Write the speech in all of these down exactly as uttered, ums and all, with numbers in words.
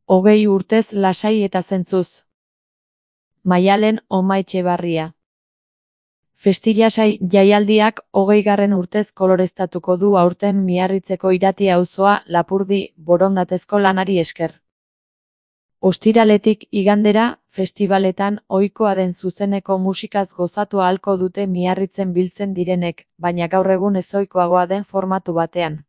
Hogei urtez lasai eta zentzuz. Maialen Omaetxebarria. Festilasai jaialdiak hogeigarren urtez koloreztatuko du aurten Miarritzeko Irati auzoa Lapurdi borondatezko lanari esker. Ostiraletik igandera, festibaletan ohikoa den zuzeneko musikaz gozatu ahalko dute Miarritzen biltzen direnek, baina gaur egun ezohikoagoa den formatu batean.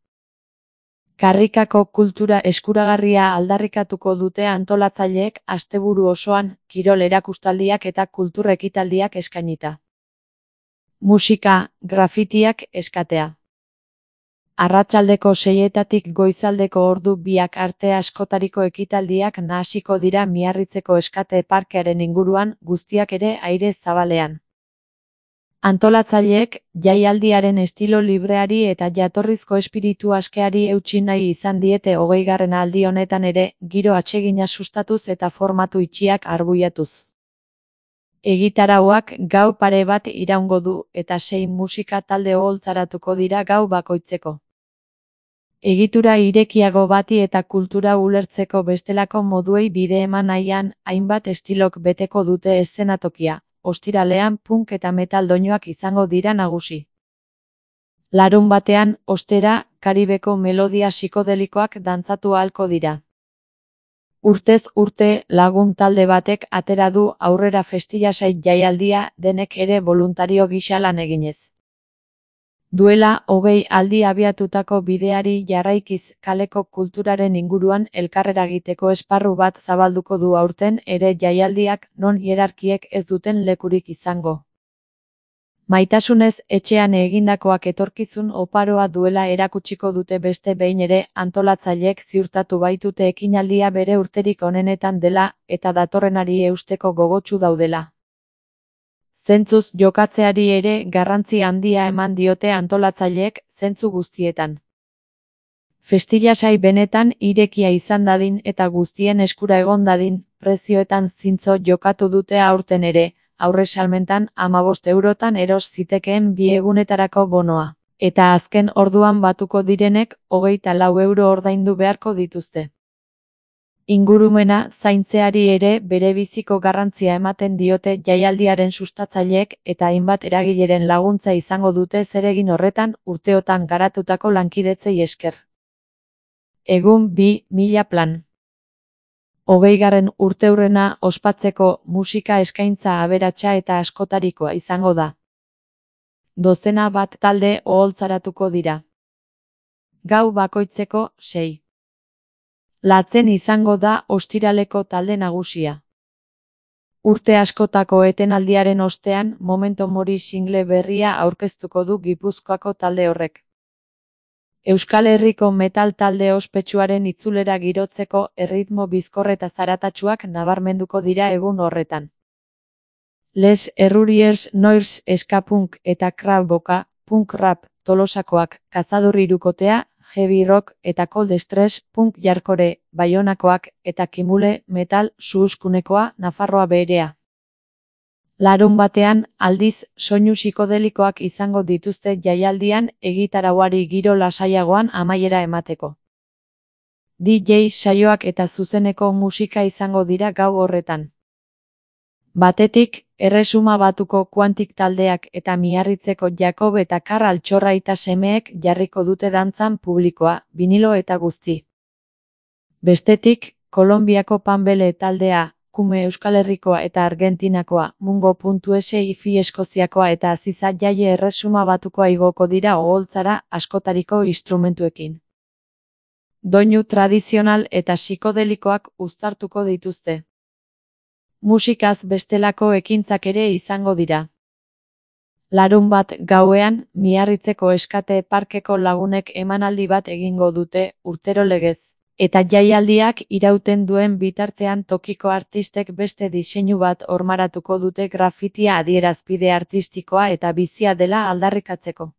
Karrikako kultura eskuragarria aldarrikatuko dute antolatzaileek asteburu osoan, kirol erakustaldiak eta kultur ekitaldiak eskainita. Musika, grafitiak eskatea. Arratsaldeko seietatik goizaldeko ordu biak arte askotariko ekitaldiak nahasiko dira Miarritzeko eskate parkearen inguruan, guztiak ere aire zabalean. Antolatzaileek jaialdiaren estilo libreari eta jatorrizko espiritu askeari eutsi nahi izan diete hogeigarren aldi honetan ere, giro atsegina sustatuz eta formatu itxiak arbuiatuz. Egitarauak gau pare bat iraungo du eta sei musika talde oholtzaratuko dira gau bakoitzeko. Egitura irekiago bati eta kultura ulertzeko bestelako moduei bide eman nahian, hainbat estilok beteko dute eszenatokia. Ostiralean punk eta metal doinuak izango dira nagusi. Larunbatean, ostera, Karibeko melodia psikodelikoak dantzatu ahalko dira. Urtez urte lagun talde batek atera du aurrera festilasai jaialdia denek ere boluntario gisa lan eginez. Duela hogei aldi abiatutako bideari jarraikiz kaleko kulturaren inguruan elkarreragiteko esparru bat zabalduko du aurten ere jaialdiak non hierarkiek ez duten lekurik izango. Maitasunez etxean egindakoak etorkizun oparoa duela erakutsiko dute beste behin ere antolatzaileek ziurtatu baitute ekinaldia bere urterik onenetan dela eta datorrenari eusteko gogotsu daudela. Zentzuz jokatzeari ere garrantzi handia eman diote antolatzaileek zentzu guztietan. Festilasai benetan irekia izan dadin eta guztien eskura egon dadin, prezioetan zintzo jokatu dute aurten ere, aurre salmentan hamabost eurotan eros zitekeen bi egunetarako bonoa, eta azken orduan batuko direnek hogeita lau euro ordaindu beharko dituzte. Ingurumena zaintzeari ere bere biziko garrantzia ematen diote jaialdiaren sustatzaileek eta hainbat eragileren laguntza izango dute zeregin horretan urteotan garatutako lankidetzei esker. Egun bi mila plan. Hogeigarren urteurrena ospatzeko musika eskaintza aberatsa eta askotarikoa izango da. Dozena bat talde oholtzaratuko dira. Gau bakoitzeko sei. Latzen izango da ostiraleko talde nagusia. Urte askotako etenaldiaren ostean Memento Mori single berria aurkeztuko du Gipuzkoako talde horrek. Euskal Herriko metal talde ospetsuaren itzulera girotzeko erritmo bizkor eta zaratatsuak nabarmenduko dira egun horretan. Les Erruriers Noirs ska punk eta Krab Boka, punk rap, Tolosakoak, Kazador hirukotea, heavy rock eta cold stress, punk jarkore, Baionakoak eta Kimule, metal, Suhuskunekoa, Nafarroa berea. Larun batean, aldiz, soinu psikodelikoak izango dituzte jaialdian egitarauari giro lasaiagoan amaiera emateko. D J saioak eta zuzeneko musika izango dira gau horretan. Batetik, Erresuma Batuko Kuantik taldeak eta Miarritzeko Jakob eta Kar Altxorraita semeek jarriko dute dantzan publikoa, vinilo eta guzti. Bestetik, Kolonbiako Panbele taldea, Kume Euskal Herrikoa eta Argentinakoa, Mungo.esi Ifi Eskoziakoa eta Aziza Jaie Erresuma Batukoa igoko dira oholtzara askotariko instrumentuekin. Doinu tradizional eta psikodelikoak uztartuko dituzte. Musikaz bestelako ekintzak ere izango dira. Larun bat gauean, Miarritzeko eskate parkeko lagunek emanaldi bat egingo dute, urtero legez. Eta jaialdiak irauten duen bitartean tokiko artistek beste diseinu bat hormaratuko dute grafitia adierazpide artistikoa eta bizia dela aldarrikatzeko.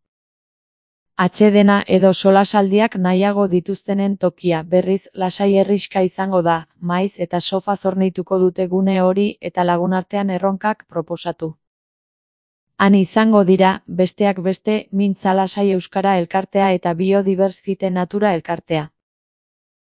Atsedena edo solasaldiak nahiago dituztenen tokia berriz lasai herrixka izango da, maiz eta sofa zornituko dute gune hori eta lagunartean erronkak proposatu. Han izango dira, besteak beste, Mintza Lasai Euskara elkartea eta Biodibertsite Natura elkartea.